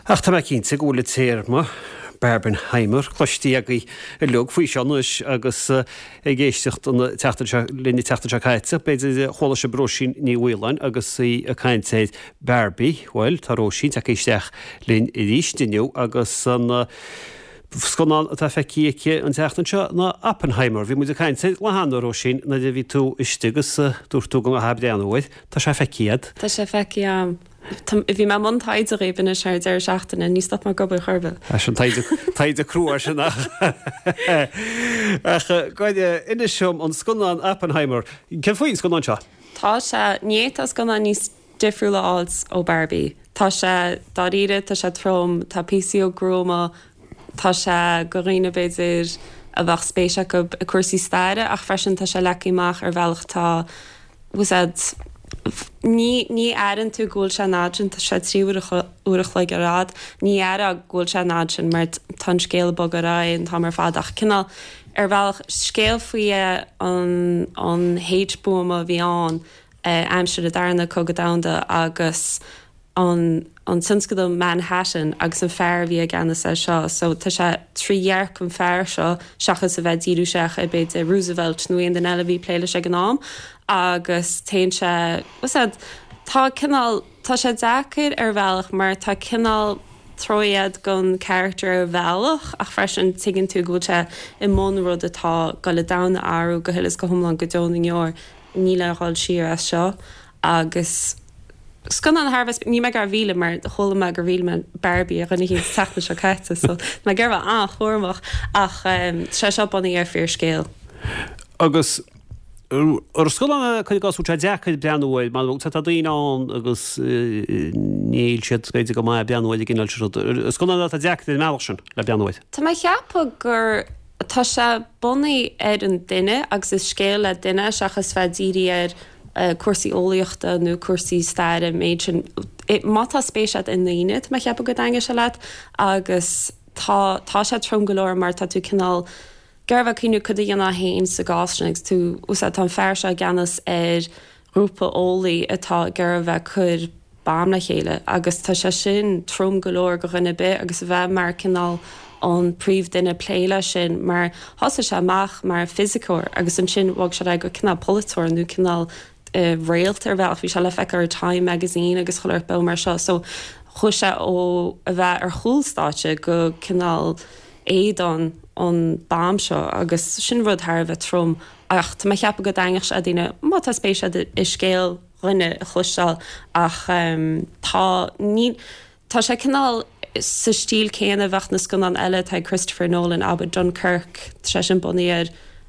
Ach tá mé cinnte go bhfuil an téarma Barbenheimer cloiste agaibh uilig faoi seo anois agus ag éisteacht an tseachtain seo linn an tseachtain seo caite, b'fhéidir chuala sibh Róisín Ní Mhaoláin agus í ag caint ar Barbie. Bhuel, tá Róisín tagtha isteach linn arís inniu agus an scannán atá feicthe aici an tseachtain seo ná Oppenheimer. Bhí muid ag caint air lá cheana, Róisín, nuair a bhí tú istigh agus dúirt tú go gcaithfeá breathnú air. Tá sé feicthe agat. Tá sé feicthe agam. Bhí mé i mbun taighde dhaoibh anois thar an deireadh seachtaine, ní stop mé ag obair chor ar bith. Sin taighde, taighde crua sin ach ach go inis dom an scannán Oppenheimer. Céard faoin scannán seo? Tá sé, ní fhéadfá scannán níos difriúla a fháilt ó Barbie. Tá sé dáiríre, tá sé trom, tá píosaí gruama, tá sé go dhaoine b'fhéidir a bheadh spéis acu i cúrsaí staire ach freisin tá sé leagtha amach ar bhealach atá bhfuil a fhios agat, ní, ní airíonn tú go bhfuil sé an fhad sin, tá sé 3 uair uair a chloig ar fhad, ní aireofá go bhfuil sé an fhad sin mar tá an scéal ag bogadh ar aghaidh an t-am ar fad ach cineál, ar bhealach, scéal faoi an, an H-buama a bhí ann aimsir an Darna Cogadh Domhanda agus an an tionscadal Manhattan agus an fear a bhí i gceannas air seo. So tá sé trí dhearcadh an fear seo seachas a bheith ag díriú isteach ar b'fhéidir Roosevelt nó aon duine eile a bhí ag plé leis ag an am agus téann sé, bhfuil a fhios agat, tá cineál, tá sé deacair ar bhealach mar tá cineál truaighe don character ar bhealach ach freisin tuigeann tú go bhfuil sé i mbun rud atá ag goil an domhan a athrú go huile is go hiomlán go deo na ndeor. Níl aon dhul siar as seo agus scannán thar a bheith, níl mé ag iarraidh a mhilleadh mar chuala mé gur mhill mé Barbie ar dhuine éicint an tseachtain seo caite so tá mé ag iarraidh a bheith an-chúramach ach tá sé seo bunaithe ar fíorscéal. Agus ar scannán é cuir i gcás bhfuil sé deacair breathnú air mar tá daoine ann agus níl siad b'fhéidir go maith ag breathnú ar an gcineál sin rud. Scannán é atá deacair ar an mbealach sin le breathnú air. Tá mé ag ceapadh gur Tá sé bunaithe ar an duine agus is scéal le duine seachas bheith dírithe ar cúrsaí eolaíochta nó cúrsaí staire an méid sin. Má tá spéis agat i ndaoine, tá mé ag ceapadh go dtaitneoidh sé leat agus tá tá sé trom go leor mar tá tú cineál ag iarraidh a bheith ag cuimhniú cad a dhéanfá féin sa gcás sin agus tú, tá an fear seo i gceannas ar ghrúpa eolaí atá ag iarraidh a bheith ag cur bomb le chéile agus tá sé sin trom go leor go dhuine ar bith agus a bheith mar cineál an príomh-duine plé leis sin mar thosaigh sé amach mar fisiceoir agus ansin bhog sé ar aghaidh go cineál polaiteoir nó cineál réalt ar bhealach, bhí sé le feiceáil ar Time magazine agus chuile shórt beo mar seo so chuaigh sé ó a bheith ar chúl stáitse go cineál éadán an bomb seo agus sin rud thar a bheith trom Ach tá mé ag ceapadh go dtaitneodh sé le daoine má tá spéis agat i scéal dhuine a chloisteáil ach tá, ní, tá sé cineál sa stíl céanna a bheadh na scannáin eile atá ag Christopher Nolan, abair Dunkirk, tá sé sin bunaithe ar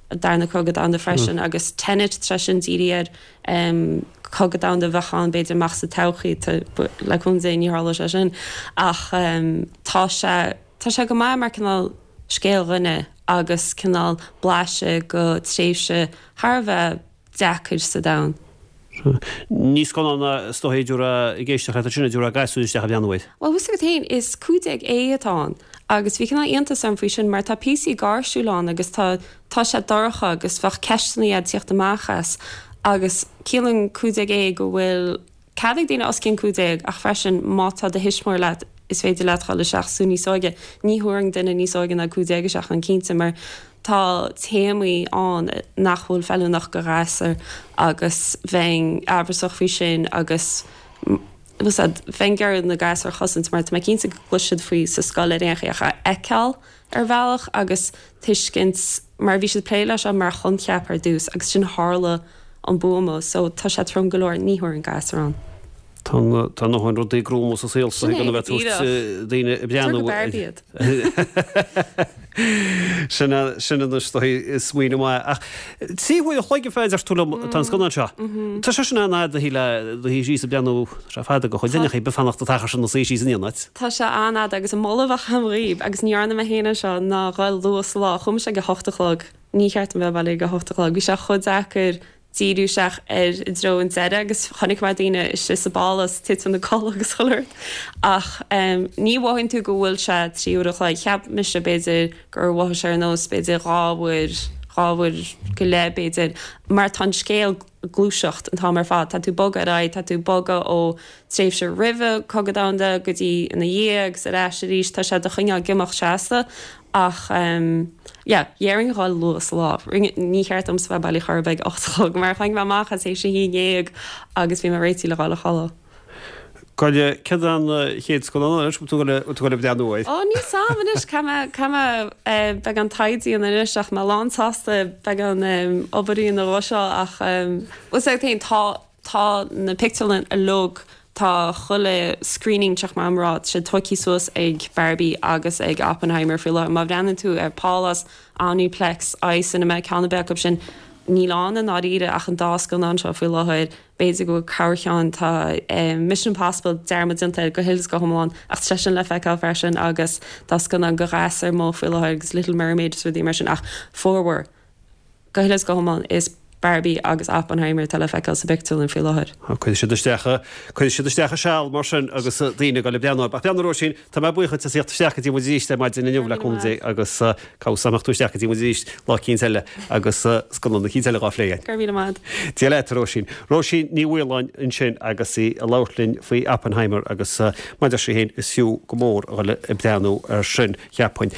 an Darna Cogadh Domhanda freisin agus Tenet, tá sé sin dírithe ar Cogadh Domhanda a bheadh ann b'fhéidir amach sa todhchaí, tá, le cúnamh Dé ní tharlóidh sé sin ach tá sé, tá sé go maith mar cineál scéal dhuine agus cineál blaiseadh go tréimhse thar a bheith deacair sa domhan. Ní scannán é is dóichí a dtabharfá, ag éisteacht leat ansin, a dtabharfá gasúir isteach a bhreathnú air. Bhuel, bhfuil a fhios agat féin, is 15 A atá ann agus bhí cineál iontas orm faoi sin mar tá píosaí gáirsiúla ann agus tá tá sé dorcha agus bheadh ceisteanna ag tíocht amach as agus ciallaíonn 15 A go bhfuil Cead ag daoine os cionn 15 ach freisin má tá do thuismitheoir leat is féidir leat dhul isteach is tú níos óige. Ní thabharfainn duine níos óige ná 15 isteach ann cinnte mar tá téamaí ann nach bhfuil feiliúnach go ghasúir agus bheinn amhrasach faoi sin agus bhfuil a fhios agat, bheinn ag iarraidh na gasúir a chosaint mar tá mé cinnte go gcloisfidh siad faoi sa scoil ar aon chaoi ach a fheiceáil ar bhealach agus tuiscint mar bhí siad ag plé leis seo mar choincheap ar dtús agus ansin tharla an buama so tá sé trom go leor, ní thabharfainn gasúr ann. Tá a ndóthain rudaí gruama sa saol seo gan a bheith ag tabhairt daoine ag breathnú. Tabhair go Barbie iad. Sin sin anois dóigh smaoineamh maith. Ach 3 huaire a chloig a deir tú liom atá an scannán seo. Tá sé sin an-fhada do shuí síos ag breathnú, tá sé fada do chuid duine a bheith fanacht an t-achar sin ina suí síos in aon áit. Tá sé an-fhada agus an moladh a bheadh agam dhaoibh, agus ní dhearna mé féin é seo, ná dhul luath sa lá. Chuaigh mise ag a hocht a chlog. Ní cheart dom bheith bailithe ag a hocht a chlog. Bhí sé chomh deacair díriú isteach ar i dtreo an deireadh agus chonaic mé daoine istigh sa bpálás ag titim ina codladh agus chuile shórt. Ach ní mhothaíonn tú go bhfuil sé 3 uair a chloig. Cheap mise b'fhéidir gur mhothaigh sé ar nós b'fhéidir 2 uair. 2 uair go leith b'fhéidir, mar tá an scéal ag gluaiseacht an t-am ar fad, tá tú ag bogadh ar aghaidh, tá tú ag bogadh ó tréimhse roimhe Cogadh Domhanda go dtí ina dhiaidh agus ar ais arís, tá sé do choinneáil ag imeacht seasta ach yeah, dhéarfainn a dhul luath sa lá. Ní cheart domsa bheith bailí chor ar bith ag 8 a chlog mar tháinig mé amach as théis a haon dhéag agus bhí mé réitithe le dhul a chodladh. Cad céard an chéad scannán anois, bhfuil tú ag dul ag breathnú air? Ó, níl 's a'm anois, caithfidh mé, caithfidh mé beagán taighde a dhéanamh anois ach mé lán sásta beagán obair a dhéanamh dhó seo ach bhfuil 's agat féin, tá, tá na pictiúrlanna uilig, tá chuile screening teach maith rá, tá sé tóigthe suas ag Barbie agus ag Oppenheimer faoi láthair. Má bhreathnaíonn tú ar Pálás, Omniplex, iCinema, ceann ar bith acu sin, níl ann i ndáiríre ach an dá scannán seo faoi láthair. B'fhéidir go bhfuil corrcheann, tá Mission Impossible dearmad déanta air go huile is go hiomlán ach tá sé sin le feiceáil freisin agus tá scannán de ghasúir amuigh faoi láthair agus Little Mermaid is rudaí mar sin ach formhór, go huile is go hiomlán, is Barbie agus Oppenheimer atá le feiceáil sa bpictiúrlann faoi láthair. Cuirfidh siad isteach, cuirfidh siad isteach a seal mar sin agus daoine ag dul ag breathnú orthu. Ach breathnaigh a Róisín, tá mé buíoch duit as theacht isteach go dtí muid arís ar maidin inniu le cúnamh Dé agus Cá bhfios an mbeadh tú isteach go dtí muid arís lá eicínt eile agus scannán eicínt eile dhá phlé againn. Go raibh míle maith agat. Dia leat, a Róisín. Róisín Ní Mhaoláin ansin agus í ag labhairt linn faoi Oppenheimer agus mar a deir sí féin, is fiú go mór a dhul ag breathnú air sin, cheapfainn.